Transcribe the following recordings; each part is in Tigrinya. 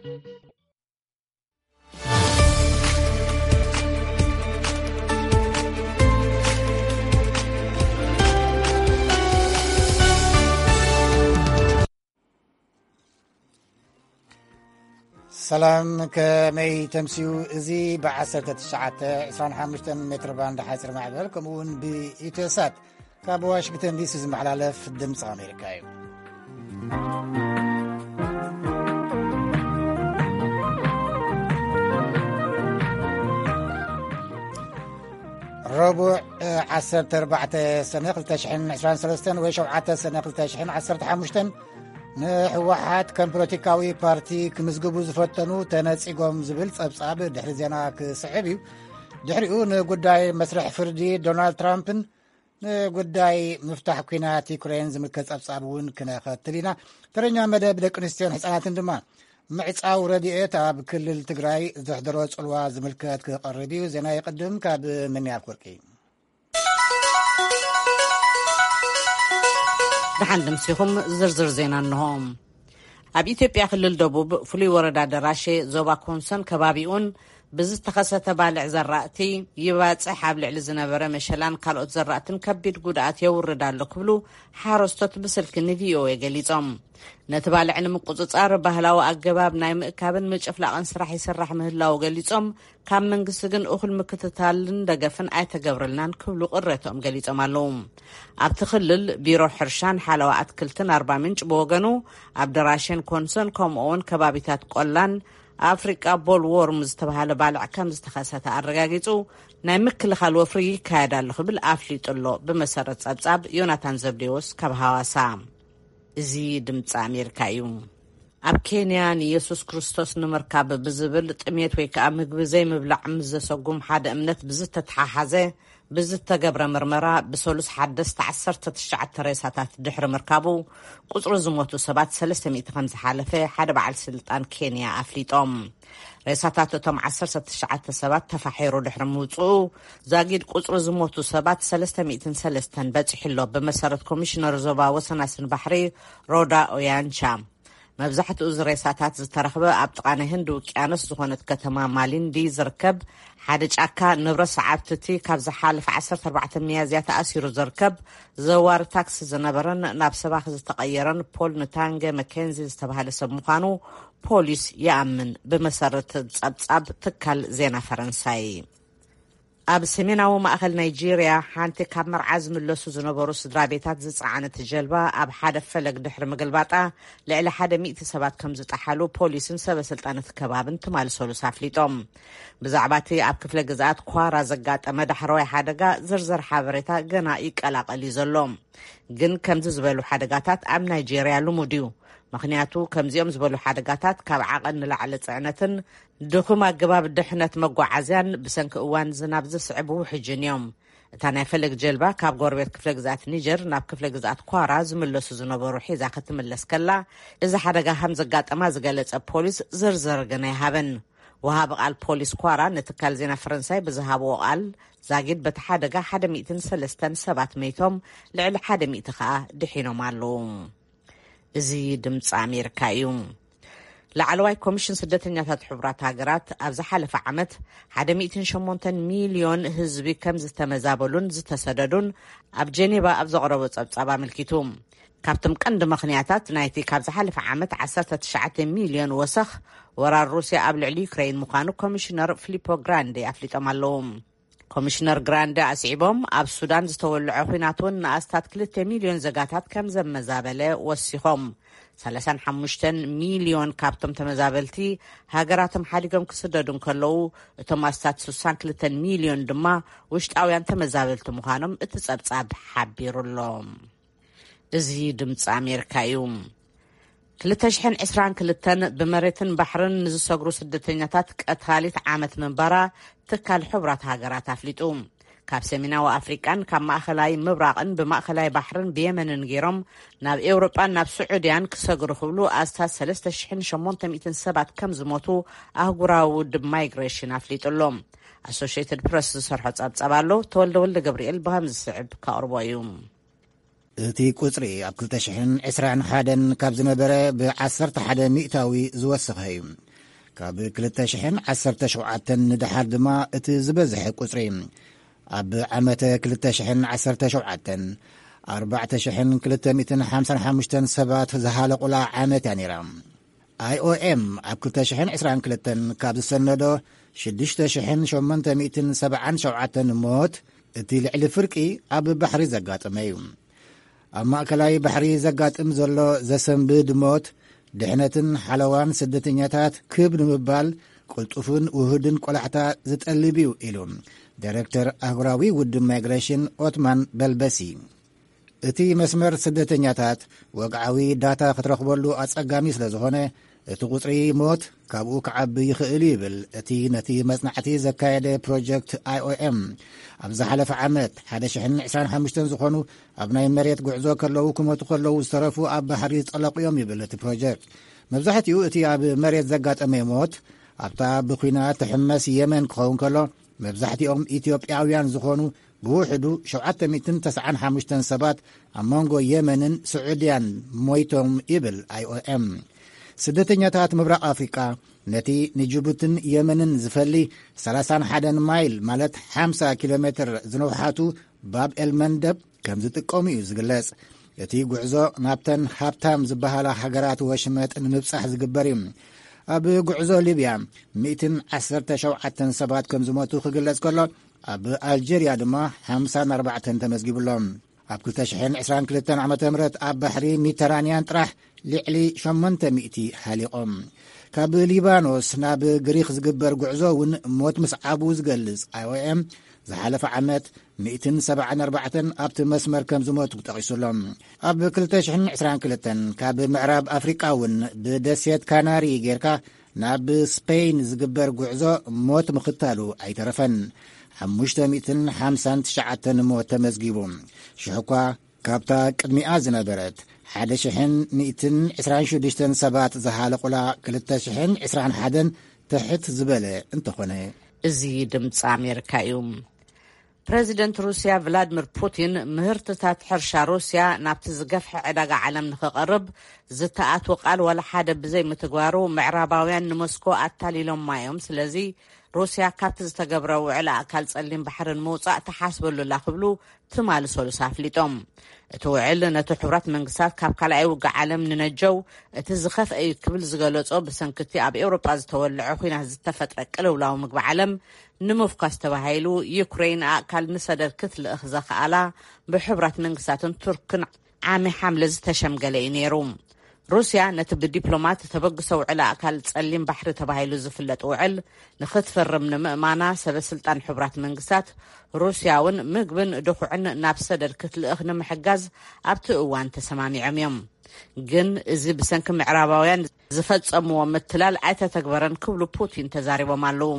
ሰላም፣ ከመይ ተምስዩ? እዚ ብ19፣ 25 ሜትር ባንድ ሓፂር ማዕበል፣ ከምኡ እውን ብኢትዮሳት ካብ ዋሽንግተን ዲሲ ዝመሓላለፍ ድምፂ ኣሜሪካ እዩ። ረቡዕ፣ እ፣ ዓሰርተ ኣርባዕተ ሰነ ክልተ ሽሕን ዕስራን ሰለስተን ወይ ሸውዓተ ሰነ ክልተ ሽሕን ዓሰርተ ሓሙሽተን፣ ንህወሓት ከም ፖለቲካዊ ፓርቲ ክምዝግቡ ዝፈተኑ ተነጺጎም ዝብል ጸብጻብ ድሕሪ ዜና ክስዕብ እዩ። ድሕሪኡ ንጉዳይ መስርሕ ፍርዲ ዶናልድ ትራምፕን ንጉዳይ ምፍታሕ ኲናት ዩክሬን ዝምልከት ጸብጻብ እውን ክነኸትል ኢና። ተረኛ መደብ ደቂ ኣንስትዮን ህጻናትን ድማ ምዕጻው ረድኤት ኣብ ክልል ትግራይ ዘሕደሮ ጽልዋ ዝምልከት ክቐርብ እዩ። ዜና ይቕድም ካብ ምንያብ ወርቂ። ደሓን ድምሲኹም ዝርዝር ዜና እንሆ። ኣብ ኢትዮጵያ ክልል ደቡብ ፍሉይ ወረዳ ደራሼ ዞባ ኮንሶን ከባቢኡን ብዝተኸሰተ ባልዕ ዘራእቲ ይባጽሕ ኣብ ልዕሊ ዝነበረ መሸላን ካልኦት ዘራእትን ከቢድ ጉድኣት የውርድ ኣሎ ክብሉ ሓረስቶት ብስልኪ ን ቪ ኦ ኤ ገሊጾም። ነቲ ባልዕ ንምቁጽጻር ባህላዊ ኣገባብ ናይ ምእካብን ምጭፍላቕን ስራሕ ይስራሕ ምህላው ገሊጾም፣ ካብ መንግስቲ ግን እኹል ምክትታልን ደገፍን ኣይተገብረልናን ክብሉ ቅሬትኦም ገሊጾም ኣለዉ። ኣብቲ ክልል ቢሮ ሕርሻን ሓለዋ ኣትክልትን ኣርባ ምንጭ ብወገኑ ኣብ ደራሼን ኮንሶን ከምኡ እውን ከባቢታት ቆላን ኣፍሪቃ ቦል ዎርም ዝተባሃለ ባልዕ ከም ዝተኸሰተ ኣረጋጊጹ፣ ናይ ምክልኻል ወፍሪ ይካየድ ኣሎ ክብል ኣፍሊጡ ኣሎ። ብመሰረት ጸብጻብ ዮናታን ዘብዴዎስ ካብ ሃዋሳ። እዚ ድምፂ ኣሜሪካ እዩ። ኣብ ኬንያ ንየሱስ ክርስቶስ ንምርካብ ብዝብል ጥሜት ወይ ከዓ ምግቢ ዘይምብላዕ ምስ ዘሰጉም ሓደ እምነት ብዝተተሓሓዘ ብዝተገብረ ምርመራ ብሰሉስ ሓደስተ ዓሰርተ ትሽዓተ ሬሳታት ድሕሪ ምርካቡ ቁፅሪ ዝሞቱ ሰባት ሰለስተ ሚእቲ ከም ዝሓለፈ ሓደ በዓል ስልጣን ኬንያ ኣፍሊጦም። ሬሳታት እቶም ዓሰርተ ትሽዓተ ሰባት ተፋሒሩ ድሕሪ ምውፅኡ ዛጊድ ቁፅሪ ዝሞቱ ሰባት ሰለስተ ሚእትን ሰለስተን በፂሑ ኣሎ። ብመሰረት ኮሚሽነር ዞባ ወሰናስን ባሕሪ ሮዳ ኦያንቻ፣ መብዛሕትኡ እዚ ሬሳታት ዝተረኽበ ኣብ ጥቓ ናይ ህንዲ ውቅያኖስ ዝኾነት ከተማ ማሊንዲ ዝርከብ ሓደ ጫካ፣ ንብረት ሰዓብቲ እቲ ካብ ዝሓለፈ ዓሰርተ ኣርባዕተ ሚያዝያ ተኣሲሩ ዝርከብ ዘዋሪ ታክሲ ዝነበረን ናብ ሰባኺ ዝተቐየረን ፖል ንታንገ መኬንዚ ዝተባህለ ሰብ ምዃኑ ፖሊስ ይኣምን፣ ብመሰረት ጸብጻብ ትካል ዜና ፈረንሳይ። ኣብ ሰሜናዊ ማእኸል ናይጄርያ፣ ሓንቲ ካብ መርዓ ዝምለሱ ዝነበሩ ስድራ ቤታት ዝጸዓነት ጀልባ ኣብ ሓደ ፈለግ ድሕሪ ምግልባጣ፣ ልዕሊ ሓደ ሚእቲ ሰባት ከም ዝጠሓሉ ፖሊስን ሰበ ስልጣን እቲ ከባብን ትማሊ ሰሉስ ኣፍሊጦም። ብዛዕባ እቲ ኣብ ክፍለ ግዝኣት ኳራ ዘጋጠመ ዳሕረዋይ ሓደጋ ዝርዝር ሓበሬታ ገና ይቀላቐል እዩ ዘሎ። ግን ከምዚ ዝበሉ ሓደጋታት ኣብ ናይጄርያ ልሙድ እዩ። ምኽንያቱ፣ ከምዚኦም ዝበሉ ሓደጋታት ካብ ዓቐን ንላዕሊ ጽዕነትን ድኹም ኣገባብ ድሕነት መጓዓዝያን ብሰንኪ እዋን ዝናብ ዝስዕብ ውሕጅን እዮም። እታ ናይ ፈለግ ጀልባ ካብ ጎረቤት ክፍለ ግዝኣት ኒጀር ናብ ክፍለ ግዝኣት ኳራ ዝምለሱ ዝነበሩ ሒዛ ክትምለስ ከላ፣ እዚ ሓደጋ ከም ዘጋጠማ ዝገለጸ ፖሊስ ዝርዝር ግን ኣይሃበን። ወሃቢ ቃል ፖሊስ ኳራ ንትካል ዜና ፈረንሳይ ብዝሃብዎ ቃል፣ ዛጊድ በቲ ሓደጋ ሓደ ሚእትን ሰለስተን ሰባት መይቶም፣ ልዕሊ ሓደ ሚእቲ ከኣ ድሒኖም ኣለዉ። እዚ ድምፂ ኣሜሪካ እዩ። ላዕለዋይ ኮሚሽን ስደተኛታት ሕቡራት ሃገራት ኣብ ዝሓለፈ ዓመት ሓደ ሚእትን ሸሞንተን ሚልዮን ህዝቢ ከም ዝተመዛበሉን ዝተሰደዱን ኣብ ጀኔቫ ኣብ ዘቕረቦ ጸብጻብ ኣመልኪቱ። ካብቶም ቀንዲ ምኽንያታት ናይቲ ካብ ዝሓለፈ ዓመት ዓሰርተ ትሽዓተ ሚልዮን ወሰኽ ወራር ሩስያ ኣብ ልዕሊ ዩክሬን ምዃኑ ኮሚሽነር ፊሊፖ ግራንዴ ኣፍሊጦም ኣለዉ። ኮሚሽነር ግራንደ ኣስዒቦም፣ ኣብ ሱዳን ዝተወልዐ ኲናት እውን ንኣስታት ክልተ ሚልዮን ዘጋታት ከም ዘመዛበለ ወሲኾም። ሰላሳን ሓሙሽተን ሚልዮን ካብቶም ተመዛበልቲ ሃገራቶም ሓዲጎም ክስደዱ እንከለዉ፣ እቶም ኣስታት ስሳን ክልተን ሚልዮን ድማ ውሽጣውያን ተመዛበልቲ ምዃኖም እቲ ጸብጻብ ሓቢሩ ኣሎ። እዚ ድምፂ ኣሜሪካ እዩ። ክልተ ሽሕን ዕስራን ክልተን ብመሬትን ባሕርን ንዝሰግሩ ስደተኛታት ቀታሊት ዓመት ምንባራ ትካል ሕቡራት ሃገራት ኣፍሊጡ። ካብ ሰሜናዊ ኣፍሪቃን ካብ ማእኸላይ ምብራቕን ብማእኸላይ ባሕርን ብየመንን ገይሮም ናብ ኤውሮጳን ናብ ስዑድያን ክሰግሩ ክብሉ ኣስታት ሰለስተ ሽሕን ሸሞንተ ሚእትን ሰባት ከም ዝሞቱ ኣህጉራዊ ውድብ ማይግሬሽን ኣፍሊጡ ኣሎ። ኣሶሽየትድ ፕረስ ዝሰርሖ ጸብጸብ ኣሎ። ተወልደ ወልደ ገብርኤል ብኸም ዝስዕብ ከቕርቦ እዩ። እቲ ቁጽሪ ኣብ ክልተ ሽሕን ዕስራን ሓደን ካብ ዝነበረ ብ ዓሰርተ ሓደ ሚእታዊ ዝወሰኸ እዩ። ካብ ክልተ ሽሕን ዓሰርተ ሸውዓተን ንደሓር ድማ እቲ ዝበዝሐ ቁጽሪ። ኣብ ዓመተ ክልተ ሽሕን ዓሰርተ ሸውዓተን ኣርባዕተ ሽሕን ክልተ ሚእትን ሓምሳን ሓሙሽተን ሰባት ዝሃለቑላ ዓመት እያ ነይራ። ኣይኦኤም ኣብ ክልተ ሽሕን ዕስራን ክልተን ካብ ዝሰነዶ ሽዱሽተ ሽሕን ሸሞንተ ሚእትን ሰብዓን ሸውዓተን ሞት፣ እቲ ልዕሊ ፍርቂ ኣብ ባሕሪ ዘጋጠመ እዩ። ኣብ ማእከላይ ባሕሪ ዘጋጥም ዘሎ ዘሰንብድ ሞት፣ ድሕነትን ሓለዋን ስደተኛታት ክብ ንምባል ቅልጡፍን ውሁድን ቆላሕታ ዝጠልብ እዩ ኢሉ ዳይሬክተር ኣህጉራዊ ውድብ ማይግሬሽን ኦትማን በልበሲ። እቲ መስመር ስደተኛታት ወግዓዊ ዳታ ክትረኽበሉ ኣጸጋሚ ስለ ዝኾነ፣ እቲ ቁጽሪ ሞት ካብኡ ክዓቢ ይኽእል እዩ ይብል እቲ ነቲ መጽናዕቲ ዘካየደ ፕሮጀክት ኣይኦኤም። ኣብ ዝሓለፈ ዓመት ሓደ ሽሕን ዕስራን ሓሙሽተን ዝኾኑ ኣብ ናይ መሬት ጉዕዞ ከለዉ ክሞቱ ከለዉ ዝተረፉ ኣብ ባሕሪ ዝጠለቑ እዮም ይብል እቲ ፕሮጀክት። መብዛሕትኡ እቲ ኣብ መሬት ዘጋጠመ ሞት ኣብታ ብኲናት ትሕመስ የመን ክኸውን ከሎ፣ መብዛሕትኦም ኢትዮጵያውያን ዝኾኑ ብውሕዱ ሸውዓተ ሚእትን ተስዓን ሓሙሽተን ሰባት ኣብ መንጎ የመንን ስዑድያን ሞይቶም ይብል ኣይኦኤም። ስደተኛታት ምብራቕ ኣፍሪቃ ነቲ ንጅቡትን የመንን ዝፈሊ ሰላሳን ሓደን ማይል ማለት ሓምሳ ኪሎ ሜትር ዝነውሓቱ ባብ ኤል መንደብ ከም ዝጥቀሙ እዩ ዝግለጽ። እቲ ጉዕዞ ናብተን ሃብታም ዝበሃላ ሃገራት ወሽመጥ ንምብጻሕ ዝግበር እዩ። ኣብ ጉዕዞ ሊብያ ሚእትን ዓሰርተ ሸውዓተን ሰባት ከም ዝሞቱ ክግለጽ ከሎ፣ ኣብ ኣልጀርያ ድማ ሓምሳን ኣርባዕተን ተመዝጊቡሎም። ኣብ ክልተ ሽሕን ዕስራን ክልተን ዓመተ ምህረት ኣብ ባሕሪ ሜዲተራንያን ጥራሕ ልዕሊ ሸሞንተ ሚእቲ ሃሊቖም። ካብ ሊባኖስ ናብ ግሪኽ ዝግበር ጉዕዞ እውን ሞት ምስዓቡ ዝገልጽ ኣይኦኤም፣ ዝሓለፈ ዓመት ሚእትን ሰብዓን ኣርባዕተን ኣብቲ መስመር ከም ዝሞቱ ጠቒሱሎም። ኣብ ክልተ ሽሕን ዕስራን ክልተን ካብ ምዕራብ ኣፍሪቃ እውን ብደሴት ካናሪ ጌርካ ናብ ስፔን ዝግበር ጉዕዞ ሞት ምኽታሉ ኣይተረፈን። ሓሙሽተ ሚእትን ሓምሳን ትሽዓተን ሞት ተመዝጊቡ። ሽሕ እኳ ካብታ ቅድሚኣ ዝነበረት ሓደ ሽሕን ሚእትን ዕስራን ሽዱሽተን ሰባት ዝሃለቑላ ክልተ ሽሕን ዕስራን ሓደን ትሕት ዝበለ እንተኾነ። እዚ ድምፂ ኣሜሪካ እዩ። ፕረዚደንት ሩስያ ቭላድሚር ፑቲን ምህርትታት ሕርሻ ሩስያ ናብቲ ዝገፍሐ ዕዳጋ ዓለም ንኽቐርብ ዝተኣትወ ቃል ዋላ ሓደ ብዘይምትግባሩ ምዕራባውያን ንሞስኮ ኣታሊሎማ እዮም። ስለዚ ሩስያ ካብቲ ዝተገብረ ውዕል ኣእካል ጸሊም ባሕሪ ንምውጻእ ትሓስበሉ ኣላ ክብሉ ትማሊ ሰሉስ ኣፍሊጦም። እቲ ውዕል ነቲ ሕቡራት መንግስታት ካብ ካልኣይ ውግእ ዓለም ንነጀው እቲ ዝኸፍአ እዩ ክብል ዝገለጾ፣ ብሰንክቲ ኣብ ኤውሮጳ ዝተወልዐ ኲናት ዝተፈጥረ ቅልውላው ምግቢ ዓለም ንምፍኳስ ተባሂሉ ዩክሬን ኣእካል ንሰደድ ክትልእኽ ዘኽኣላ ብሕቡራት መንግስታትን ቱርክን ዓሚ ሓምለ ዝተሸምገለ እዩ ነይሩ። ሩስያ ነቲ ብዲፕሎማት ተበግሶ ውዕል ኣእካል ጸሊም ባሕሪ ተባሂሉ ዝፍለጥ ውዕል ንኽትፍርም ንምእማና ሰበ ስልጣን ሕቡራት መንግስታት፣ ሩስያ እውን ምግብን ድኹዕን ናብ ሰደድ ክትልእኽ ንምሕጋዝ ኣብቲ እዋን ተሰማሚዖም እዮም። ግን እዚ ብሰንኪ ምዕራባውያን ዝፈጸምዎ ምትላል ኣይተተግበረን ክብሉ ፑቲን ተዛሪቦም ኣለዉ።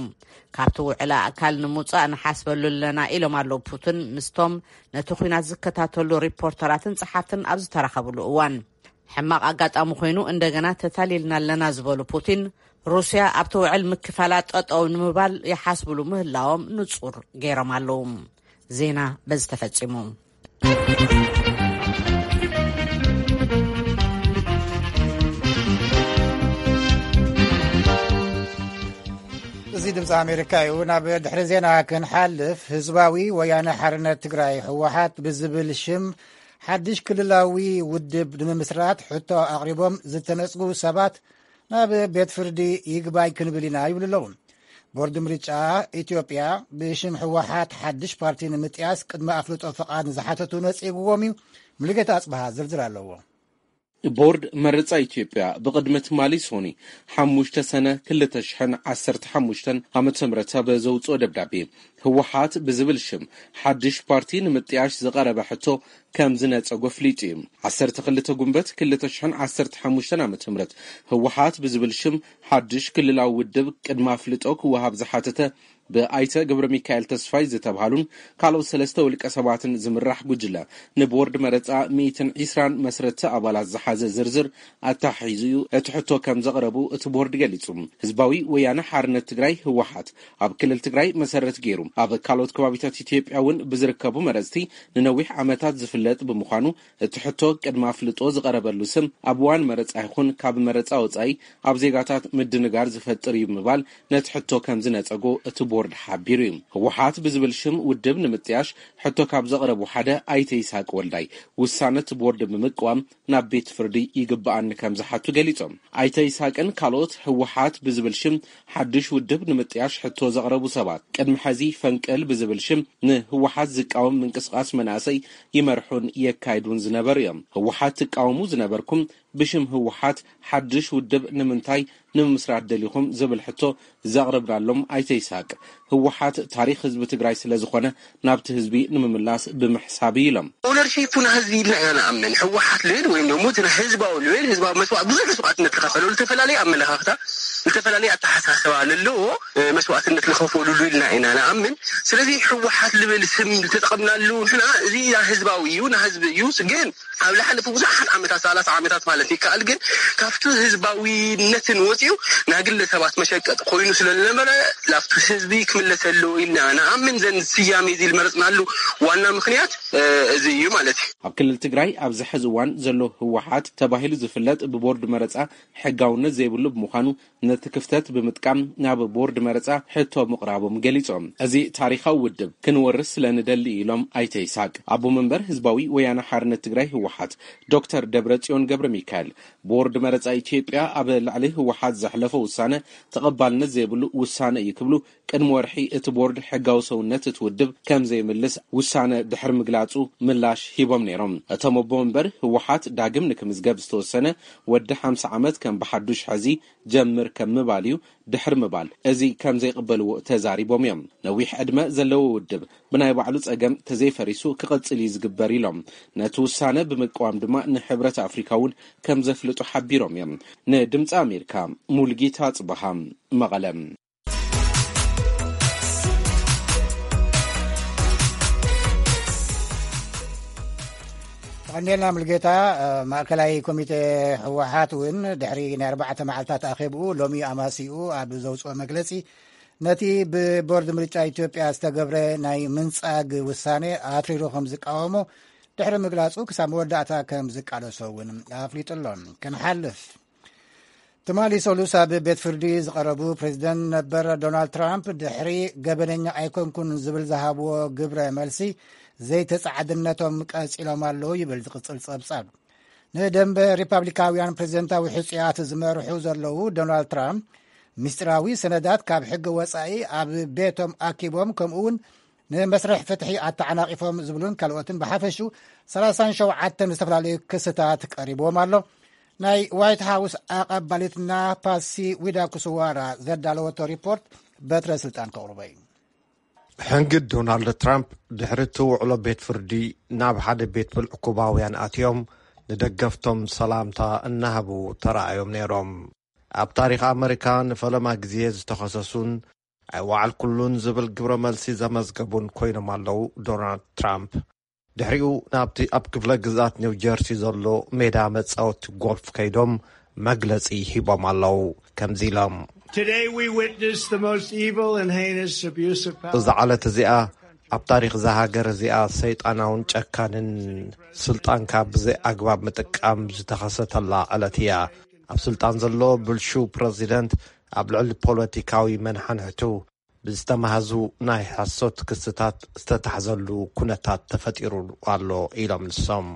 ካብቲ ውዕል ኣእካል ንምውጻእ ንሓስበሉ ኣለና ኢሎም ኣለዉ ፑቲን ምስቶም ነቲ ኲናት ዝከታተሉ ሪፖርተራትን ጸሓፍትን ኣብ ዝተራኸብሉ እዋን። ሕማቕ ኣጋጣሚ ኮይኑ እንደገና ተታሊልና ኣለና ዝበሉ ፑቲን፣ ሩስያ ኣብቲ ውዕል ምክፋላ ጠጠው ንምባል ይሓስብሉ ምህላዎም ንጹር ገይሮም ኣለዉ። ዜና በዚ ተፈጺሙ። እዚ ድምፂ ኣሜሪካ እዩ። ናብ ድሕሪ ዜና ክንሓልፍ፣ ህዝባዊ ወያነ ሓርነት ትግራይ፣ ህወሓት ብዝብል ሽም ሓድሽ ክልላዊ ውድብ ንምምስራት ሕቶ ኣቕሪቦም ዝተነፅጉ ሰባት ናብ ቤት ፍርዲ ይግባይ ክንብል ኢና ይብሉ ኣለዉ። ቦርድ ምርጫ ኢትዮጵያ ብሽም ህወሓት ሓድሽ ፓርቲ ንምጥያስ ቅድመ ኣፍልጦ ፍቓድ ንዝሓተቱ ነፂግዎም እዩ። ሙሉጌታ ኣፅበሃ ዝርዝር ኣለዎ። ቦርድ መረፃ ኢትዮጵያ ብቕድሚ ትማሊ ሶኒ ሓሙሽተ ሰነ ክልተ ሽሕን ዓሰርተ ሓሙሽተን ዓመተ ምህረት ኣብ ዘውፅኦ ደብዳቤ፣ ህወሓት ብዝብል ሽም ሓድሽ ፓርቲ ንምጥያሽ ዝቐረበ ሕቶ ከም ዝነፀጎ ኣፍሊጡ እዩ። ዓሰርተ ክልተ ጉንበት ክልተ ሽሕን ዓሰርተ ሓሙሽተን ዓመተ ምህረት ህወሓት ብዝብል ሽም ሓድሽ ክልላዊ ውድብ ቅድመ ኣፍልጦ ክወሃብ ዝሓተተ ብኣይተ ገብረ ሚካኤል ተስፋይ ዝተብሃሉን ካልኦት ሰለስተ ውልቀ ሰባትን ዝምራሕ ጉጅለ፣ ንቦርድ መረፃ ሚእትን ዕስራን መስረቲ ኣባላት ዝሓዘ ዝርዝር ኣታሒዙ እዩ እቲ ሕቶ ከም ዘቕረቡ እቲ ቦርድ ገሊጹ። ህዝባዊ ወያነ ሓርነት ትግራይ፣ ህወሓት፣ ኣብ ክልል ትግራይ መሰረት ገይሩ ኣብ ካልኦት ከባቢታት ኢትዮጵያ እውን ብዝርከቡ መረፅቲ ንነዊሕ ዓመታት ዝፍለጥ ብምዃኑ፣ እቲ ሕቶ ቅድሚ ኣፍልጦ ዝቐረበሉ ስም ኣብ እዋን መረፃ ይኹን ካብ መረፃ ወፃኢ ኣብ ዜጋታት ምድንጋር ዝፈጥር እዩ ብምባል፣ ነቲ ሕቶ ከም ዝነፀጎ እቲ ቦርድ ሓቢሩ እዩ። ህወሓት ብዝብል ሽም ውድብ ንምጥያሽ ሕቶ ካብ ዘቕረቡ ሓደ ኣይተ ይስሃቅ ወልዳይ፣ ውሳነ እቲ ቦርድ ብምቅዋም ናብ ቤት ፍርዲ ይግብኣኒ ከም ዝሓቱ ገሊጾም። ኣይተ ይስሃቅን ካልኦት ህወሓት ብዝብል ሽም ሓድሽ ውድብ ንምጥያሽ ሕቶ ዘቕረቡ ሰባት፣ ቅድሚ ሕዚ ፈንቅል ብዝብል ሽም ንህወሓት ዝቃወም ምንቅስቃስ መናእሰይ ይመርሑን የካይዱን ዝነበሩ እዮም። ህወሓት ትቃወሙ ዝነበርኩም፣ ብሽም ህወሓት ሓድሽ ውድብ ንምንታይ ንምምስራት ደሊኹም ዝብል ሕቶ ዘቕረብናሎም ኣይተ ይስሃቅ፣ ህወሓት ታሪኽ ህዝቢ ትግራይ ስለ ዝኾነ ናብቲ ህዝቢ ንምምላስ ብምሕሳብ እዩ ኢሎም። ኦነርሺፕ ናይ ህዝቢ ኢልና ኢና ንኣምን። ህወሓት ልብል ወይም ደግሞ እቲ ናይ ህዝባዊ ልብል፣ ህዝባዊ መስዋዕት፣ ብዙሕ መስዋዕትነት ዝኸፈለሉ፣ ዝተፈላለየ ኣመለኻኽታ፣ ዝተፈላለየ ኣተሓሳስባ ለለዎ፣ እ፣ መስዋዕትነት ዝኸፈሉሉ ኢልና ኢና ንኣምን። ስለዚ ህወሓት ልብል ስም ዝተጠቐምናሉ ንሕና፣ እዚ ናይ ህዝባዊ እዩ፣ ናይ ህዝቢ እዩ። ግን ኣብ ዝሓለፉ ብዙሓት ዓመታት፣ ሰላሳ ዓመታት ማለት ይከኣል፣ ግን ካብቲ ህዝባዊነትን ወፂኡ ናይ ግለሰባት መሸቀጥ ኮይኑ ስለ ዝነበረ፣ ላብቲ ህዝቢ ክምለስ ኣለዎ ኢልና ንኣምን። ዘን ስያሜ እዚ ዝመረፅናሉ ዋና ምኽንያት፣ እ፣ እዚ እዩ ማለት እዩ። ኣብ ክልል ትግራይ ኣብዚ ሕዚ እዋን ዘሎ ህወሓት ተባሂሉ ዝፍለጥ፣ ብቦርድ መረፃ ሕጋውነት ዘይብሉ ብምዃኑ፣ ነቲ ክፍተት ብምጥቃም ናብ ቦርድ መረፃ ሕቶ ምቕራቦም ገሊጾም። እዚ ታሪኻዊ ውድብ ክንወርስ ስለ ንደሊ ኢሎም ኣይተ ይስሃቅ። ኣቦ መንበር ህዝባዊ ወያነ ሓርነት ትግራይ ህወሓት ዶክተር ደብረጽዮን ገብረ ሚካኤል፣ ቦርድ መረፃ ኢትዮጵያ ኣብ ልዕሊ ህወሓት ዘሕለፎ ውሳነ ተቐባልነት ዘይብሉ ውሳነ እዩ ክብሉ፣ ቅድሚ ወርሒ እቲ ቦርድ ሕጋዊ ሰውነት እቲ ውድብ ከም ዘይምልስ ውሳነ ድሕሪ ምግላጹ ምላሽ ሂቦም ነይሮም። እቶም ኣቦ መንበር፣ ህወሓት ዳግም ንክምዝገብ ዝተወሰነ ወዲ ሓምሳ ዓመት ከም ብሓዱሽ ሕዚ ጀምር ከም ምባል እዩ፣ ድሕሪ ምባል እዚ ከም ዘይቕበልዎ ተዛሪቦም እዮም። ነዊሕ ዕድመ ዘለዎ ውድብ ብናይ ባዕሉ ጸገም ተዘይፈሪሱ ክቕጽል እዩ ዝግበር ኢሎም። ነቲ ውሳነ ብምቅዋም ድማ ንሕብረት ኣፍሪካ እውን ከም ዘፍልጡ ሓቢሮም እዮም። ንድምፂ ኣሜሪካ፣ ሙልጌታ ጽበሃ፣ መቐለ። ቀንዴልና ሙልጌታ። ማእከላይ ኮሚቴ ህወሓት እውን ድሕሪ ናይ ኣርባዕተ መዓልታት ኣኼብኡ ሎሚ ኣማሲኡ ኣብ ዘውፅኦ መግለፂ፣ ነቲ ብቦርድ ምርጫ ኢትዮጵያ ዝተገብረ ናይ ምንጻግ ውሳኔ ኣትሪሩ ከም ዝቃወሞ ድሕሪ ምግላጹ፣ ክሳብ መወዳእታ ከም ዝቃለሶ እውን ኣፍሊጡ ኣሎ። ክንሓልፍ፣ ትማሊ ሰሉስ ኣብ ቤት ፍርዲ ዝቐረቡ ፕሬዚደንት ነበር ዶናልድ ትራምፕ፣ ድሕሪ ገበነኛ ኣይኮንኩን ዝብል ዝሃብዎ ግብረ መልሲ፣ ዘይተጻዓድነቶም ቀጺሎም ኣለዉ ይብል ዝቕጽል ጸብጻብ። ንደንበ ሪፓብሊካውያን ፕሬዚደንታዊ ሕጹያት ዝመርሑ ዘለዉ ዶናልድ ትራምፕ፣ ምስጢራዊ ሰነዳት ካብ ሕጊ ወጻኢ ኣብ ቤቶም ኣኪቦም፣ ከምኡ እውን ንመስርሕ ፍትሒ ኣተዓናቒፎም ዝብሉን ካልኦትን፣ ብሓፈሹ ሰላሳን ሸውዓተን ዝተፈላለዩ ክስታት ቀሪብዎም ኣሎ። ናይ ዋይት ሃውስ ኣቐባሊትና ፓሲ ዊዳ ኩስዋራ ዘዳለወቶ ሪፖርት በትረ ስልጣን ከቕርቦ እዩ። ሕንግድ ዶናልድ ትራምፕ ድሕሪ እቲ ውዕሎ ቤት ፍርዲ፣ ናብ ሓደ ቤት ብልዒ ኩባውያን ኣትዮም ንደገፍቶም ሰላምታ እናሃቡ ተራእዮም ነይሮም። ኣብ ታሪኽ ኣመሪካ ንፈለማ ግዜ ዝተኸሰሱን ኣይወዓልኩሉን ዝብል ግብረ መልሲ ዘመዝገቡን ኮይኖም ኣለዉ ዶናልድ ትራምፕ። ድሕሪኡ ናብቲ ኣብ ክፍለ ግዝኣት ኒው ጀርሲ ዘሎ ሜዳ መጻወቲ ጎልፍ ከይዶም መግለጺ ሂቦም ኣለዉ። ከምዚ ኢሎም፣ Today we witnessed the most evil and heinous abuse of power. እዛ ዕለት እዚኣ ኣብ ታሪኽ እዛ ሃገር እዚኣ ሰይጣናውን ጨካንን ስልጣንካ ብዘይ ኣግባብ ምጥቃም ዝተኸሰተላ ዕለት እያ። ኣብ ስልጣን ዘሎ ብልሹ ፕረዚደንት ኣብ ልዕሊ ፖለቲካዊ መንሓንሕቱ ብዝተማህዙ ናይ ሓሶት ክስታት ዝተታሕዘሉ ኩነታት ተፈጢሩ ኣሎ ኢሎም ንሶም።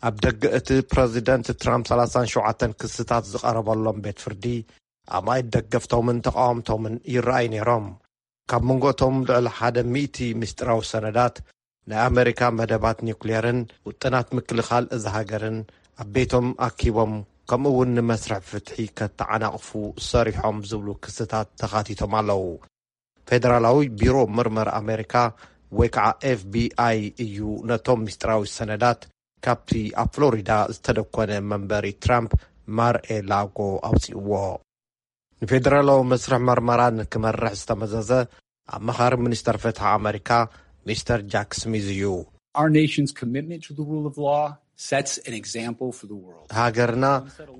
ኣብ ደገ እቲ ፕረዚደንት ትራምፕ ሰላሳን ሸውዓተን ክስታት ዝቐረበሎም ቤት ፍርዲ ኣማኢት ደገፍቶምን ተቓወምቶምን ይረኣዩ ነይሮም። ካብ መንጎ እቶም ልዕሊ ሓደ ሚእቲ ምስጢራዊ ሰነዳት፣ ናይ ኣመሪካ መደባት ኒውክሌርን ውጥናት ምክልኻል እዛ ሃገርን ኣብ ቤቶም ኣኪቦም፣ ከምኡ እውን ንመስርሕ ፍትሒ ከተዓናቕፉ ሰሪሖም ዝብሉ ክስታት ተኻቲቶም ኣለዉ። ፌደራላዊ ቢሮ ምርመራ ኣመሪካ ወይ ከዓ ኤፍ ቢ ኣይ እዩ ነቶም ምስጢራዊ ሰነዳት ካብቲ ኣብ ፍሎሪዳ ዝተደኮነ መንበሪ ትራምፕ ማር ኤ ላጎ ኣውፂእዎ። ንፌደራላዊ መስርሕ መርመራ ንክመርሕ ዝተመዘዘ ኣማኻሪ ሚኒስተር ፍትሒ ኣመሪካ ሚስተር ጃክ ስሚዝ እዩ። Our nation's commitment to the rule of law sets an example for the world. ሃገርና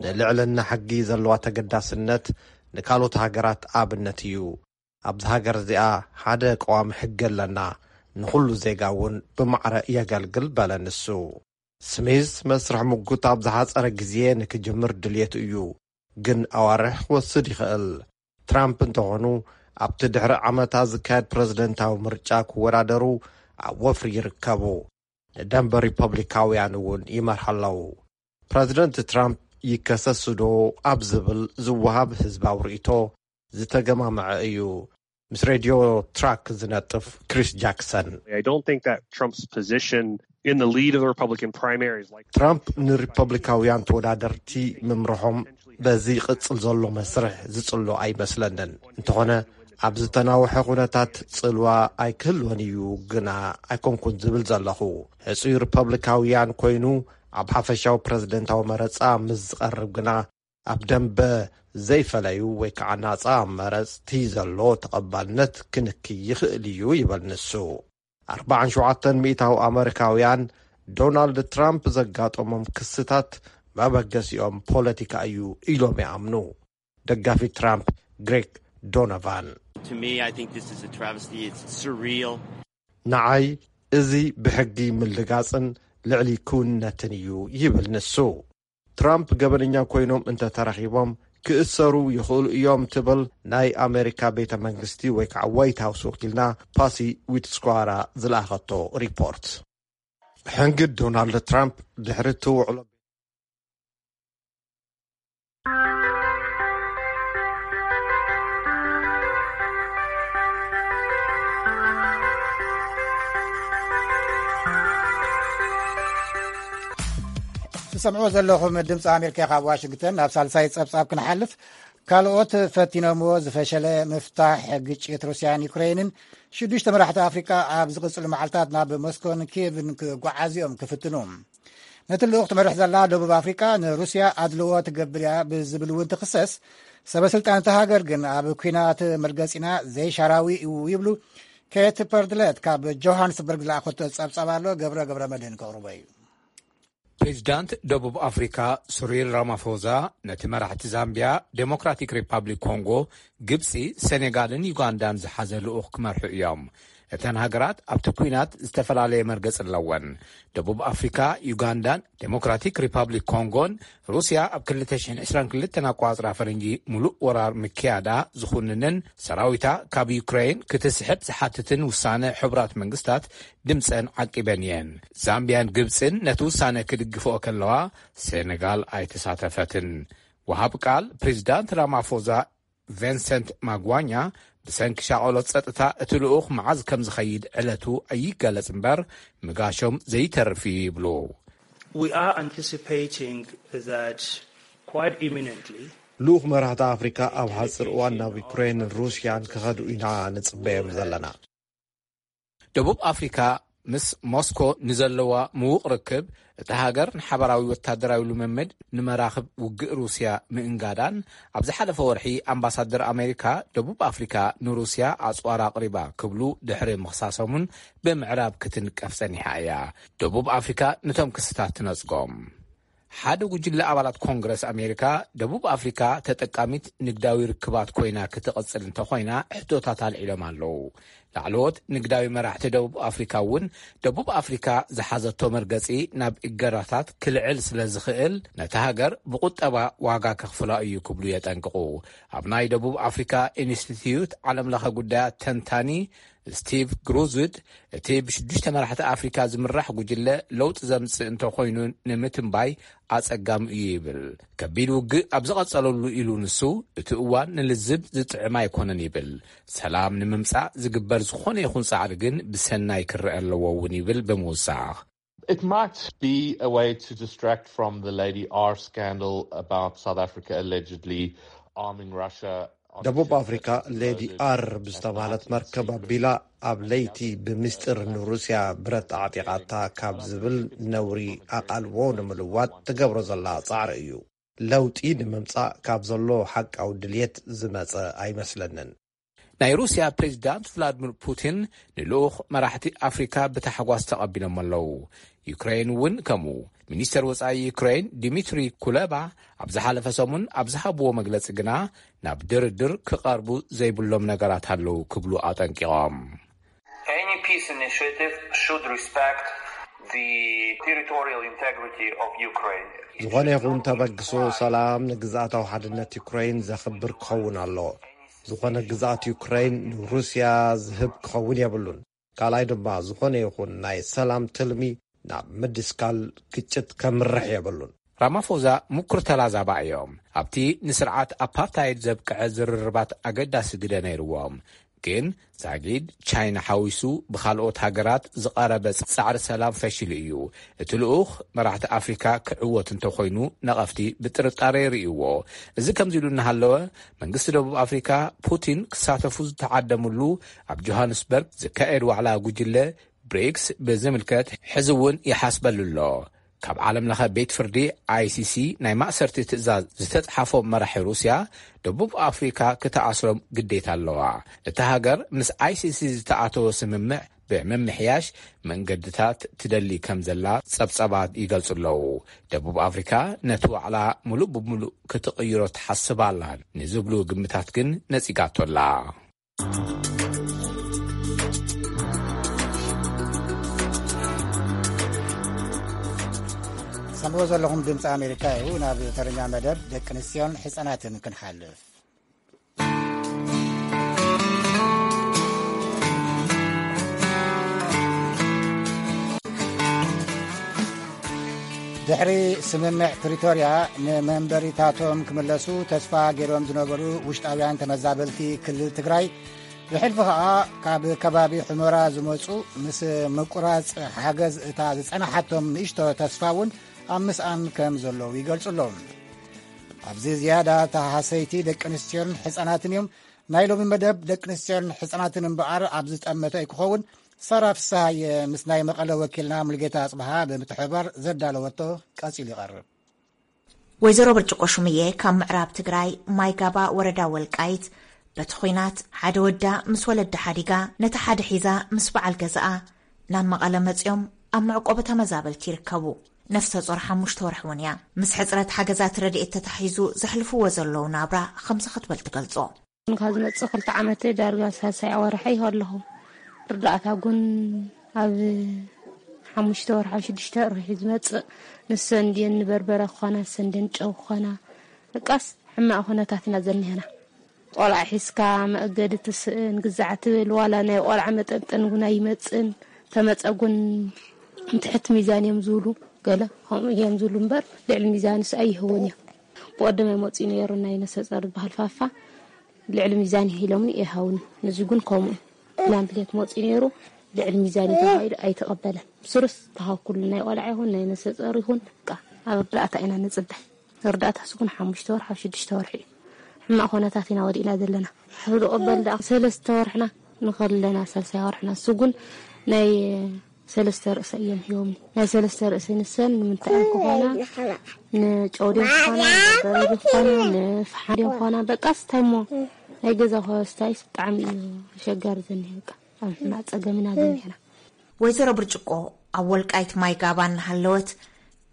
ንልዕልና ሕጊ ዘለዋ ተገዳስነት ንካልኦት ሃገራት ኣብነት እዩ። ኣብዚ ሃገር እዚኣ ሓደ ቀዋሚ ሕጊ ኣለና፣ ንኹሉ ዜጋ እውን ብማዕረ የገልግል፣ በለ ንሱ። ስሚዝ መስርሕ ምጉት ኣብ ዝሓጸረ ግዜ ንክጅምር ድልየቱ እዩ፣ ግን ኣዋርሕ ክወስድ ይኽእል። ትራምፕ እንተኾኑ ኣብቲ ድሕሪ ዓመታት ዝካየድ ፕረዚደንታዊ ምርጫ ክወዳደሩ ኣብ ወፍሪ ይርከቡ። ንደንበ ሪፐብሊካውያን እውን ይመርሑ ኣለዉ። ፕረዚደንት ትራምፕ ይከሰስዶ ኣብ ዝብል ዝወሃብ ህዝባዊ ርእይቶ ዝተገማመዐ እዩ። ምስ ሬድዮ ትራክ ዝነጥፍ ክሪስ ጃክሰን። I don't think that Trump's position in the lead of the Republican primaries, like ትራምፕ ንሪፐብሊካውያን ተወዳደርቲ ምምርሖም በዚ ይቕጽል ዘሎ መስርሕ ዝጽሎ ኣይመስለንን። እንተኾነ ኣብ ዝተናውሐ ኩነታት ጽልዋ ኣይክህልወን እዩ ግና ኣይኮንኩን ዝብል ዘለኹ። ሕጹይ ሪፐብሊካውያን ኮይኑ ኣብ ሓፈሻዊ ፕረዚደንታዊ መረጻ ምስ ዝቐርብ ግና ኣብ ደንበ ዘይፈለዩ ወይ ከዓ ናጻ መረጽቲ ዘሎ ተቐባልነት ክንክይ ይኽእል እዩ ይበል ንሱ። ኣርባዓን ሸውዓተን ሚእታዊ ኣመሪካውያን ዶናልድ ትራምፕ ዘጋጠሞም ክስታት መበገሲኦም ፖለቲካ እዩ ኢሎም ይኣምኑ። ደጋፊ ትራምፕ ግሬግ ዶኖቫን To me, I think this is a travesty. It's surreal. ንዓይ እዚ ብሕጊ ምልጋጽን ልዕሊ ክውንነትን እዩ ይብል ንሱ። ትራምፕ ገበነኛ ኮይኖም እንተተረኺቦም ክእሰሩ ይኽእሉ እዮም ትብል ናይ ኣሜሪካ ቤተ መንግስቲ ወይ ከዓ ዋይት ሃውስ ወኪልና ፓሲ ዊትስኳራ ዝለኣኸቶ ሪፖርት። ሕንግድ ዶናልድ ትራምፕ ድሕሪ እቲ ውዕሎ ትሰምዕዎ ዘለኹም ድምፂ ኣሜሪካ ካብ ዋሽንግተን። ናብ ሳልሳይ ፀብፃብ ክንሓልፍ፣ ካልኦት ፈቲኖምዎ ዝፈሸለ ምፍታሕ ግጭት ሩስያን ዩክሬንን ሽዱሽተ መራሕቲ ኣፍሪቃ ኣብ ዝቕፅሉ መዓልታት ናብ ሞስኮን ኪየቭን ክጓዓዙ እዮም ክፍትኑ። ነቲ ልኡኽ ትመርሕ ዘላ ደቡብ ኣፍሪቃ ንሩስያ ኣድልዎ ትገብር እያ ብዝብል እውን ትኽሰስ። ሰበ ስልጣን እታ ሃገር ግን ኣብ ኲናት መርገፂና ዘይሻራዊ እዩ ይብሉ። ኬት ፐርድለት ካብ ጆሃንስበርግ ዝለኣኸቶ ጸብጻብ ኣሎ፣ ገብረ ገብረ መድህን ከቕርቦ እዩ። ፕሬዚዳንት ደቡብ ኣፍሪካ ሱሪል ራማፎዛ ነቲ መራሕቲ ዛምቢያ፣ ዴሞክራቲክ ሪፓብሊክ ኮንጎ፣ ግብፂ፣ ሴኔጋልን ዩጋንዳን ዝሓዘ ልኡኽ ክመርሑ እዮም። እተን ሃገራት ኣብቲ ኲናት ዝተፈላለየ መርገፂ ኣለወን። ደቡብ ኣፍሪካ፣ ዩጋንዳን ዴሞክራቲክ ሪፓብሊክ ኮንጎን ሩስያ ኣብ ክልተ ሽሕን ዕስራን ክልተን ኣቋፅራ ፈረንጂ ሙሉእ ወራር ምክያዳ ዝኹንንን ሰራዊታ ካብ ዩክሬን ክትስሕብ ዝሓትትን ውሳነ ሕቡራት መንግስታት ድምፀን ዓቂበን እየን። ዛምቢያን ግብፅን ነቲ ውሳነ ክድግፍኦ ከለዋ፣ ሴኔጋል ኣይተሳተፈትን። ወሃብ ቃል ፕሬዚዳንት ራማፎዛ ቨንሰንት ማጓኛ ብሰንኪ ሻቐሎት ጸጥታ እቲ ልኡኽ መዓዝ ከም ዝኸይድ ዕለቱ ኣይገለጽ እምበር፣ ምጋሾም ዘይተርፍ እዩ ይብሉ። We are anticipating that quite imminently. ልኡኽ መራሕቲ ኣፍሪካ ኣብ ሓፂር እዋን ናብ ዩክሬንን ሩስያን ክኸዱ ኢና ንፅበዮም ዘለና። ደቡብ ኣፍሪካ ምስ ሞስኮ ንዘለዋ ምዉቕ ርክብ፣ እታ ሃገር ንሓባራዊ ወታደራዊ ልምምድ ንመራኽብ ውግእ ሩስያ ምእንጋዳን፣ ኣብ ዝሓለፈ ወርሒ ኣምባሳደር ኣሜሪካ ደቡብ ኣፍሪካ ንሩስያ ኣጽዋር ኣቕሪባ ክብሉ ድሕሪ ምኽሳሶምን ብምዕራብ ክትንቀፍ ጸኒሓ እያ። ደቡብ ኣፍሪካ ነቶም ክስታት ትነጽጎም። ሓደ ጉጅለ ኣባላት ኮንግረስ ኣሜሪካ፣ ደቡብ ኣፍሪካ ተጠቃሚት ንግዳዊ ርክባት ኮይና ክትቕጽል እንተኾይና ሕቶታት ኣልዒሎም ኣለዉ። ላዕለዎት ንግዳዊ መራሕቲ ደቡብ ኣፍሪካ እውን፣ ደቡብ ኣፍሪካ ዝሓዘቶ መርገጺ ናብ እገዳታት ክልዕል ስለ ዝኽእል፣ ነታ ሃገር ብቁጠባ ዋጋ ከኽፍላ እዩ ክብሉ የጠንቅቑ። ኣብ ናይ ደቡብ ኣፍሪካ ኢንስቲትዩት ዓለምለኸ ጉዳያት ተንታኒ ስቲቭ ግሩዝድ፣ እቲ ብሽዱሽተ መራሕቲ ኣፍሪካ ዝምራሕ ጉጅለ ለውጢ ዘምጽእ እንተኾይኑ ንምትንባይ ኣጸጋሚ እዩ ይብል። ከቢድ ውግእ ኣብ ዝቐጸለሉ ኢሉ ንሱ፣ እቲ እዋን ንልዝብ ዝጥዕም ኣይኮነን ይብል። ሰላም ንምምጻእ ዝግበር ዝኾነ ይኹን ጻዕሪ ግን ብሰናይ ክረአ ኣለዎ እውን ይብል ብምውሳኽ። It might be a way to distract from the Lady R scandal about South Africa allegedly arming Russia. ደቡብ ኣፍሪካ ሌዲ ኣር ብዝተባህለት መርከብ ኣቢላ ኣብ ለይቲ ብምስጢር ንሩስያ ብረት ኣዕጢቓታ ካብ ዝብል ነውሪ ኣቓልቦ ንምልዋጥ ትገብሮ ዘላ ጻዕሪ እዩ። ለውጢ ንምምጻእ ካብ ዘሎ ሓቃዊ ድልየት ዝመጸ ኣይመስለንን። ናይ ሩስያ ፕሬዚዳንት ቭላድሚር ፑቲን ንልኡኽ መራሕቲ ኣፍሪካ ብታሕጓስ ተቐቢሎም ኣለዉ። ዩክሬን እውን ከምኡ። ሚኒስተር ወጻኢ ዩክሬን ዲሚትሪ ኩለባ ኣብ ዝሓለፈ ሰሙን ኣብ ዝሃብዎ መግለጺ ግና ናብ ድርድር ክቐርቡ ዘይብሎም ነገራት ኣለዉ ክብሉ ኣጠንቂቖም። Any peace initiative should respect the territorial integrity of Ukraine. ዝኾነ ይኹን ተበግሶ ሰላም ንግዝኣታዊ ሓድነት ዩክሬን ዘኽብር ክኸውን ኣለዎ። ዝኾነ ግዝኣት ዩክሬን ንሩስያ ዝህብ ክኸውን የብሉን። ካልኣይ ድማ ዝኾነ ይኹን ናይ ሰላም ትልሚ ናብ ምድስካል ግጭት ከምርሕ የብሉን። ራማፎዛ ምኩር ተላዛባ እዮም። ኣብቲ ንስርዓት ኣፓርታይድ ዘብቅዐ ዝርርባት ኣገዳሲ ግደ ነይርዎም። ግን ዛጊድ ቻይና ሓዊሱ ብኻልኦት ሃገራት ዝቐረበ ጻዕሪ ሰላም ፈሺሉ እዩ። እቲ ልኡኽ መራሕቲ ኣፍሪካ ክዕወት እንተኾይኑ ነቐፍቲ ብጥርጣረ ይርእይዎ። እዚ ከምዚ ኢሉ እናሃለወ መንግስቲ ደቡብ ኣፍሪካ ፑቲን ክሳተፉ ዝተዓደምሉ ኣብ ጆሃንስበርግ ዝካየድ ዋዕላ ጉጅለ ብሪክስ ብዝምልከት ሕዚ እውን ይሓስበሉ ኣሎ። ካብ ዓለም ለኸ ቤት ፍርዲ ኣይሲሲ ናይ ማእሰርቲ ትእዛዝ ዝተፅሓፎም መራሒ ሩስያ ደቡብ ኣፍሪካ ክትኣስሮም ግዴታ ኣለዋ። እታ ሃገር ምስ ኣይሲሲ ዝተኣተወ ስምምዕ ብምምሕያሽ መንገድታት ትደሊ ከም ዘላ ፀብፀባት ይገልፁ ኣለዉ። ደቡብ ኣፍሪካ ነቲ ዋዕላ ሙሉእ ብሙሉእ ክትቕይሮ ትሓስብ ኣላ ንዝብሉ ግምታት ግን ነፂጋቶ ኣላ። ሰምዎ ዘለኹም ድምፂ ኣሜሪካ እዩ። ናብ ተረኛ መደብ ደቂ ኣንስትዮን ሕፃናትን ክንሓልፍ። ድሕሪ ስምምዕ ፕሪቶርያ ንመንበሪታቶም ክምለሱ ተስፋ ገይሮም ዝነበሩ ውሽጣውያን ተመዛበልቲ ክልል ትግራይ፣ ብሕልፊ ኸኣ ካብ ከባቢ ሑመራ ዝመጹ ምስ ምቁራጽ ሓገዝ እታ ዝጸናሓቶም ንእሽቶ ተስፋ እውን ኣብ ምስኣን ከም ዘለዉ ይገልጹ ኣለዉ። ኣብዚ ዝያዳ ተሃሰይቲ ደቂ ኣንስትዮን ሕጻናትን እዮም። ናይ ሎሚ መደብ ደቂ ኣንስትዮን ሕጻናትን እምበኣር ኣብ ዝጠመተ ኣይክኸውን። ሰራ ፍስሃየ ምስ ናይ መቐለ ወኪልና ሙልጌታ ኣጽብሃ ብምትሕብባር ዘዳለወቶ ቀጺሉ ይቐርብ። ወይዘሮ ብርጭቆ ሹምዬ ካብ ምዕራብ ትግራይ ማይጋባ ወረዳ ወልቃይት በቲ ኹናት ሓደ ወዳ ምስ ወለዳ ሓዲጋ ነቲ ሓደ ሒዛ ምስ በዓል ገዛኣ ናብ መቐለ መጺኦም ኣብ መዕቆቢ ተመዛበልቲ ይርከቡ። ነፍሰ ጾር ሓሙሽተ ወርሒ እውን እያ። ምስ ሕጽረት ሓገዛት ረድኤት ተታሒዙ ዘሕልፍዎ ዘለዉ ናብራ ከምዚ ክትብል ትገልጾ። ካብ ዝመጽእ ክልተ ዓመተይ ዳርጋ ሳልሳይ ኣዋርሐይ ኣለኹ። ርዳእታ ጉን ኣብ ሓሙሽተ ወርሒ ኣብ ሽዱሽተ ወርሒ ዝመጽእ ንሰንድየን ንበርበረ ክኾና ሰንድየን ጨው ክኾና በቃስ ሕማቕ ኩነታት ኢና ዘኒሀና። ቆልዓ ሒዝካ መእገዲ ትስእን ግዛዕ ትብል ዋላ ናይ ቆልዓ መጠንጠን እውን ኣይመጽእን። ተመጸ ጉን ንትሕቲ ሚዛን እዮም ዝብሉ ገለ ከምኡ እዮም ዝብሉ እምበር ልዕሊ ሚዛንስ ኣይህውን እዮም። ብቐደም ኣይመጽኡ ነይሩ ናይ ነሰጸር ዝበሃል ፋፋ ልዕሊ ሚዛን ኢሎምኒ ኣይሃውኒ። ነዚ ግን ከምኡ ፕላምፕሌት መፂኡ ነይሩ ልዕሊ ሚዛን እዩ ተባሂሉ ኣይተቐበለን። ብስሩስ ተሃኩሉ ናይ ቆልዓ ይኹን ናይ ነሰፀር ይኹን በቃ ኣብ እርዳእታ ኢና ንፅበ። እርዳእታ ስጉን ሓሙሽተ ወርሒ ኣብ ሽዱሽተ ወርሒ እዩ። ሕማቕ ኩነታት ኢና ወዲእና ዘለና። ዝቕበል ደኣ ሰለስተ ወርሕና ንኸለና ሳልሳይ ወርሕና ስጉን ናይ ሰለስተ ርእሰ እዮም ሂቦምኒ። ናይ ሰለስተ ርእሰ ንሰን ንምንታይ እዮም ክኾና? ንጨው ድዮም ክኾና? ንበርበረ ድዮም ክኾና? ንፍሓም ድዮም ክኾና? በቃስ እንታይ እሞ ናይ ገዛ ኮስታይስ ብጣዕሚ እዩ ኣሸጋሪ ዘኒሀ። በቃ ኣብ ሕማቕ ፀገም ኢና ዘኒሀና። ወይዘሮ ብርጭቆ ኣብ ወልቃይት ማይ ጋባ እናሃለወት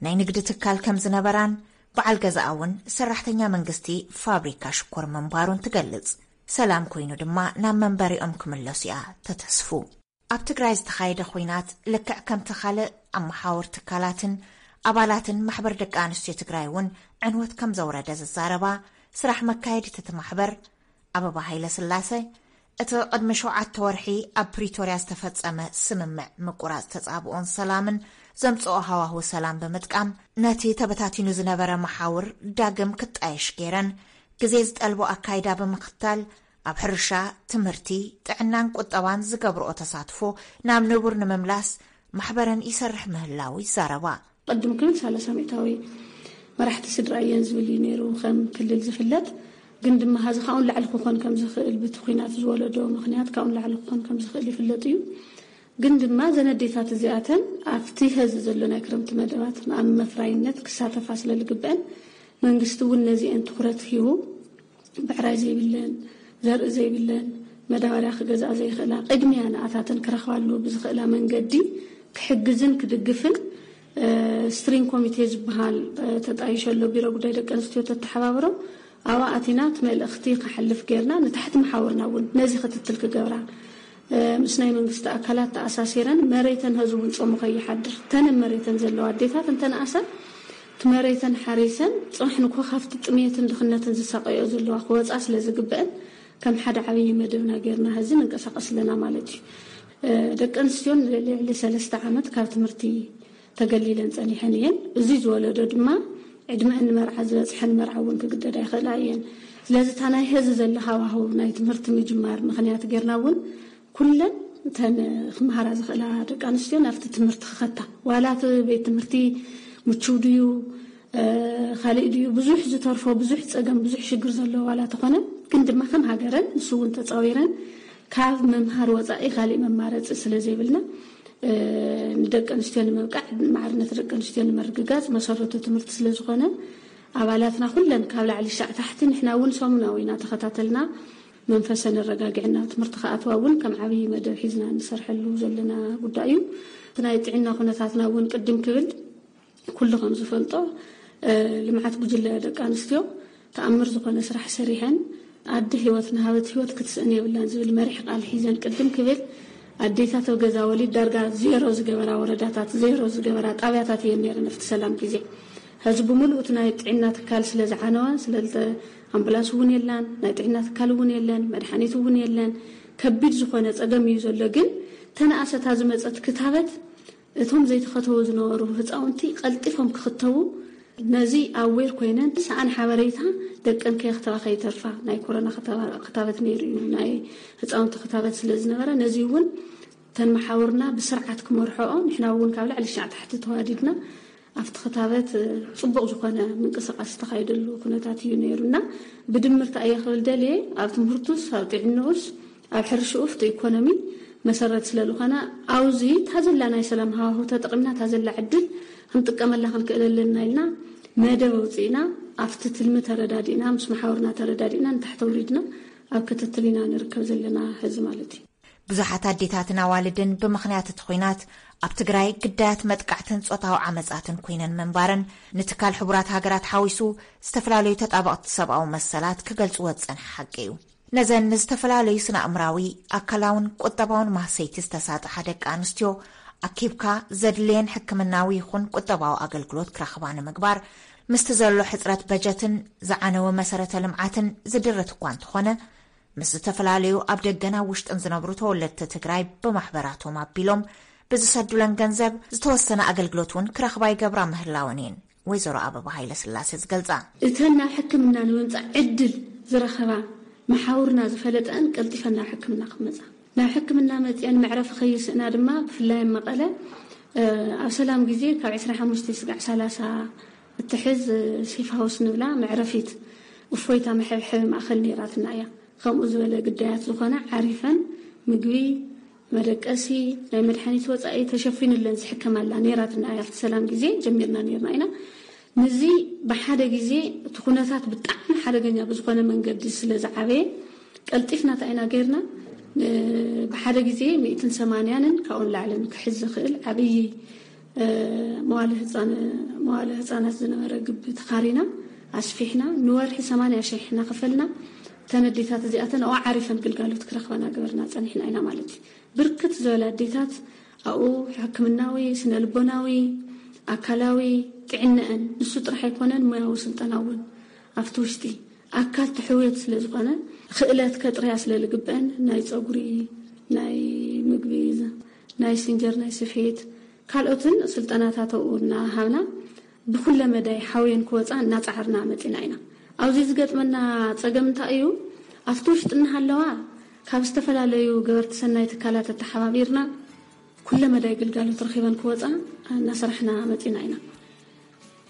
ናይ ንግዲ ትካል ከም ዝነበራን በዓል ገዛኣ እውን ሰራሕተኛ መንግስቲ ፋብሪካ ሽኮር ምንባሩን ትገልጽ። ሰላም ኮይኑ ድማ ናብ መንበሪኦም ክምለሱ እያ ተተስፉ። ኣብ ትግራይ ዝተኻየደ ኹናት ልክዕ ከምቲ ካልእ ኣብ መሓውር ትካላትን ኣባላትን ማሕበር ደቂ ኣንስትዮ ትግራይ እውን ዕንወት ከም ዘውረደ ዝዛረባ ስራሕ መካየዲት እቲ ማሕበር ኣበባ ሃይለ ስላሰ፣ እቲ ቅድሚ ሸውዓተ ወርሒ ኣብ ፕሪቶርያ ዝተፈጸመ ስምምዕ ምቁራጽ ተጻብኦን ሰላምን ዘምጽኦ ሃዋሁ ሰላም ብምጥቃም ነቲ ተበታቲኑ ዝነበረ መሓውር ዳግም ክጣየሽ ገይረን ግዜ ዝጠልቦ ኣካይዳ ብምኽታል ኣብ ሕርሻ፣ ትምህርቲ፣ ጥዕናን ቁጠባን ዝገብርኦ ተሳትፎ ናብ ንቡር ንምምላስ ማሕበረን ይሰርሕ ምህላዉ ይዛረባ። ቅድም ክብል ሰላሳ ሚእታዊ መራሕቲ ስድራ እየን ዝብል እዩ ነይሩ ከም ክልል ዝፍለጥ። ግን ድማ ሀዚ ካብኡ ንላዕሊ ክኾን ከም ዝኽእል ብቲ ኲናት ዝወለዶ ምኽንያት ካብኡ ንላዕሊ ክኾን ከም ዝኽእል ይፍለጥ እዩ። ግን ድማ እዘን ኣዴታት እዚኣተን ኣብቲ ሀዚ ዘሎ ናይ ክረምቲ መደባት ኣብ መፍራይነት ክሳተፋ ስለ ዝግበአን መንግስቲ እውን ነዚአን ትኹረት ሂቡ ብዕራይ ዘይብለን፣ ዘርኢ ዘይብለን፣ መዳበርያ ክገዝኣ ዘይኽእላ፣ ቅድሚያ ንኣታተን ክረኽባሉ ብዝኽእላ መንገዲ ክሕግዝን ክድግፍን፣ ስትሪንግ ኮሚቴ ዝበሃል ተጣይሸሎ ቢሮ ጉዳይ ደቂ ኣንስትዮ ተተሓባብሮ፣ ኣብኣ ኣቲና እቲ መልእኽቲ ክሓልፍ ጌርና፣ ንታሕቲ መሓውርና እውን ነዚ ክትትል ክገብራ፣ ምስ ናይ መንግስቲ ኣካላት ተኣሳሲረን፣ መሬተን ህዝቡ እውን ጾሙ ከይሓድር፣ ተን መሬተን ዘለዋ ኣዴታት እንተነኣሰ እቲ መሬተን ሓሪሰን ጽባሕ ንግሆ ካብቲ ጥሜትን ድኽነትን ዝሳቀዮ ዘለዋ ክወጻ ስለ ዝግበአን፣ ከም ሓደ ዓብዪ መደብና ጌርና ሕዚ ንንቀሳቐስ ኣለና ማለት እዩ። ደቂ ኣንስትዮ ንልዕሊ ሰለስተ ዓመት ካብ ትምህርቲ ተገሊለን ጸኒሐን እየን። እዚ ዝወለዶ ድማ ዕድመአን ንመርዓ ዝበጽሐን መርዓ እውን ክግደዳ ይኽእላ እየን። ስለዚ እታ ናይ ሕዚ ዘለ ሃዋህው ናይ ትምህርቲ ምጅማር ምኽንያት ጌርና እውን ኩለን እተን ክመሃራ ዝኽእላ ደቂ ኣንስትዮ ናብቲ ትምህርቲ ክኸታ፣ ዋላ እቲ ቤት ትምህርቲ ምችው ድዩ፣ ካልእ ድዩ፣ ብዙሕ ዝተርፎ፣ ብዙሕ ጸገም፣ ብዙሕ ሽግር ዘለዎ ዋላ ተኾነ፣ ግን ድማ ከም ሃገረን ንሱ እውን ተጻዊረን ካብ ምምሃር ወጻኢ ካልእ መማረጺ ስለ ዘይብልና፣ ንደቂ ኣንስትዮ ንምብቃዕ፣ ማዕርነት ደቂ ኣንስትዮ ንምርግጋጽ መሰረቱ ትምህርቲ ስለ ዝኾነ፣ ኣባላትና ኩለን ካብ ላዕሊ ሻዕ ታሕቲ ንሕና እውን ሰሙናዊ እናተኸታተልና መንፈሰን ኣረጋጊዕና ትምህርቲ ክኣትዋ እውን ከም ዓብዪ መደብ ሒዝና ንሰርሐሉ ዘለና ጉዳይ እዩ። እቲ ናይ ጥዕና ኩነታትና እውን ቅድም ክብል ኩሉ ከም ዝፈልጦ፣ ልምዓት ጉጅለ ደቂ ኣንስትዮ ተኣምር ዝኾነ ስራሕ ሰሪሐን፣ ኣደ ህይወት ንሃበት ህይወት ክትስእን የብላን ዝብል መሪሕ ቃል ሒዘን ቅድም ክብል ኣዴታት ኣብ ገዛ ወሊድ ዳርጋ ዜሮ ዝገበራ ወረዳታት፣ ዜሮ ዝገበራ ጣብያታት እየን ነይረን ኣብቲ ሰላም ግዜ። ሕዚ ብምሉእ እቲ ናይ ጥዕና ትካል ስለ ዝዓነወ፣ ስለ ኣምቡላንስ እውን የላን፣ ናይ ጥዕና ትካል እውን የለን፣ መድሓኒት እውን የለን። ከቢድ ዝኾነ ጸገም እዩ ዘሎ። ግን ተነኣሰታ ዝመጸት ክታበት እቶም ዘይተኸተቡ ዝነበሩ ህፃውንቲ ቀልጢፎም ክኽተቡ፣ ነዚ ኣዌር ኮይነን ሰኣን ሓበሬታ ደቀን ከየኽተባ ከይተርፋ። ናይ ኮሮና ክታባ-፣ ክታበት ነይሩ እዩ፣ ናይ ህፃውንቲ ክታበት ስለ ዝነበረ፣ ነዚ እውን እተን መሓውርና ብስርዓት ክመርሖኦ፣ ንሕና እውን ካብ ላዕሊ ሻዕ ታሕቲ ተዋዲድና ኣብቲ ክታበት፣ እ፣ ፅቡቕ ዝኾነ ምንቅስቃስ ዝተኻየደሉ ኩነታት እዩ ነይሩ እና፣ ብድምር እንታይ እየ ክብል ደልየ፣ ኣብ ትምህርቱስ፣ ኣብ ጥዕንኡስ፣ ኣብ ሕርሽኡ፣ ፍቲ ኢኮኖሚ መሰረት ስለ ዝኾነ፣ ኣብዚ እታ ዘላ ናይ ሰላም ሃዋሁ ተጠቒምና፣ እታ ዘላ ዕድል ክንጥቀመላ ክንክእል ኣለና ኢልና መደብ ኣውፂእና፣ ኣብቲ ትልሚ ተረዳዲእና፣ ምስ መሓውርና ተረዳዲእና፣ ንታሕቲ ኣውሪድና ኣብ ክትትል ኢና ንርከብ ዘለና ሕዚ ማለት እዩ። ብዙሓት ኣዴታትን ኣዋልድን ብምኽንያት እቲ ኲናት ኣብ ትግራይ ግዳያት መጥቃዕትን ጾታዊ ዓመጻትን ኮይነን ምንባረን ንትካል ሕቡራት ሃገራት ሓዊሱ ዝተፈላለዩ ተጣበቕቲ ሰብኣዊ መሰላት ክገልጽዎ ዝጸንሐ ሓቂ እዩ። ነዘን ንዝተፈላለዩ ስነ ኣእምራዊ፣ ኣካላውን ቁጠባውን ማህሰይቲ ዝተሳጥሓ ደቂ ኣንስትዮ ኣኪብካ ዘድልየን ሕክምናዊ ይኹን ቁጠባዊ ኣገልግሎት ክረኽባ ንምግባር ምስቲ ዘሎ ሕጽረት በጀትን ዝዓነወ መሰረተ ልምዓትን ዝድርት እኳ እንተኾነ፣ ምስ ዝተፈላለዩ ኣብ ደገን ኣብ ውሽጥን ዝነብሩ ተወለድቲ ትግራይ ብማሕበራቶም ኣቢሎም ብዝሰዱለን ገንዘብ ዝተወሰነ ኣገልግሎት እውን ክረኽባ ይገብራ ምህላወን እየን ወይዘሮ ኣበባ ሃይለ ስላሴ ዝገልጻ። እተን ናብ ሕክምና ንምምጻእ ዕድል ዝረኸባ መሓውርና ዝፈለጠአን ቀልጢፈን ናብ ሕክምና ክመጻ፣ ናብ ሕክምና መጺአን መዕረፊ ከይስእና ድማ ብፍላይ ኣብ መቐለ፣ እ፣ ኣብ ሰላም ግዜ ካብ ዕስራን ሓሙሽተን ስጋዕ ሰላሳ እትሕዝ ሴፍ ሃውስ ንብላ መዕረፊት እፎይታ መሐብሐቢ ማእኸል ነይራትና እያ። ከምኡ ዝበለ ግዳያት ዝኾነ ዓሪፈን ምግቢ፣ መደቀሲ፣ ናይ መድሓኒት ወፃኢ ተሸፊኑለን ዝሕከማላ ነይራትና እያ። ኣብቲ ሰላም ግዜ ጀሚርና ነይርና ኢና። ንዚ ብሓደ ግዜ እቲ ኩነታት ብጣዕሚ ሓደገኛ ብዝኾነ መንገዲ ስለ ዝዓበየ ቀልጢፍና እንታይ ኢና ገይርና? እ፣ ብሓደ ግዜ ሚእትን ሰማንያንን ካብኡን ላዕልን ክሕዝ ዝኽእል ዓብዪ፣ እ፣ መዋለ ህፃን-፣ መዋለ ህፃናት ዝነበረ ግቢ ተኻሪና ኣስፊሕና ንወርሒ ሰማንያ ሺሕ እናኸፈልና እተን ኣዴታት እዚኣተን ኣብኡ ዓሪፈን ግልጋሎት ክረኽባ እናገበርና ፀኒሕና ኢና ማለት እዩ። ብርክት ዝበላ ኣዴታት ኣብኡ ሕክምናዊ፣ ስነ ልቦናዊ፣ ኣካላዊ ጥዕነአን ንሱ ጥራሕ ኣይኮነን፣ ሞያዊ ስልጠና እውን ኣብቲ ውሽጢ ኣካል ትሕውየት ስለ ዝኾነ፣ ክእለት ከጥርያ ስለ ዝግበአን፣ ናይ ፀጉሪ፣ ናይ ምግቢ፣ ናይ ሲንጀር፣ ናይ ስፌት፣ ካልኦትን ስልጠናታት ኣብኡ እናሃብና፣ ብኩለ መዳይ ሓውየን ክወፃ እናፃዓርና መፂና ኢና። ኣብዚ ዝገጥመና ፀገም እንታይ እዩ? ኣብቲ ውሽጢ እናሃለዋ፣ ካብ ዝተፈላለዩ ገበርቲ ሰናይ ትካላት ኣተሓባቢርና፣ ኩለ መዳይ ግልጋሎት ረኺበን ክወፃ እናሰራሕና መፂና ኢና።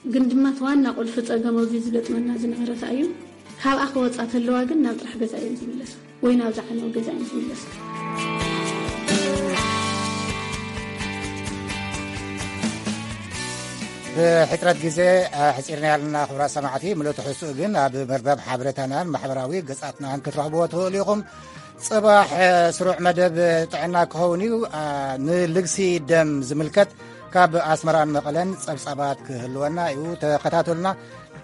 ግን ድማ እቲ ዋና ቁልፊ ፀገም ኣብዚ ዝገጥመና ዝነበረ እንታይ እዩ? ካብኣ ክወፃ ተለዋ ግን ናብ ጥራሕ ገዛ እየን ዝምለሳ ወይ ናብ ዝዓነወ ገዛ እየን ዝምለሳ። ብሕጽረት ግዜ፣ እ፣ ሕጺርና ያልና ክቡራት ሰማዕቲ፣ ምሉእ ትሕዝትኡ ግን ኣብ መርበብ ሓበሬታናን ማሕበራዊ ገጻትናን ክትረኽብዎ ትኽእሉ ኢኹም። ጽባሕ፣ እ፣ ስሩዕ መደብ ጥዕና ክኸውን እዩ። እ፣ ንልግሲ ደም ዝምልከት ካብ ኣስመራን መቐለን ጸብጻባት ክህልወና እዩ። ተኸታተሉና።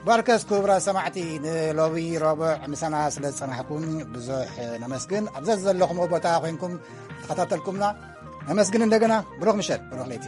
ባርከስ ክቡራት ሰማዕቲ፣ ንሎቢ ረቡዕ ምሳና ስለ ዝጸናሕኩም ብዙሕ ነመስግን። ኣብ ዘዘለኹምዎ ቦታ ኮይንኩም ተኸታተልኩምና ነመስግን። እንደገና ብሩኽ ምሸት፣ ብሩኽ ለይቲ።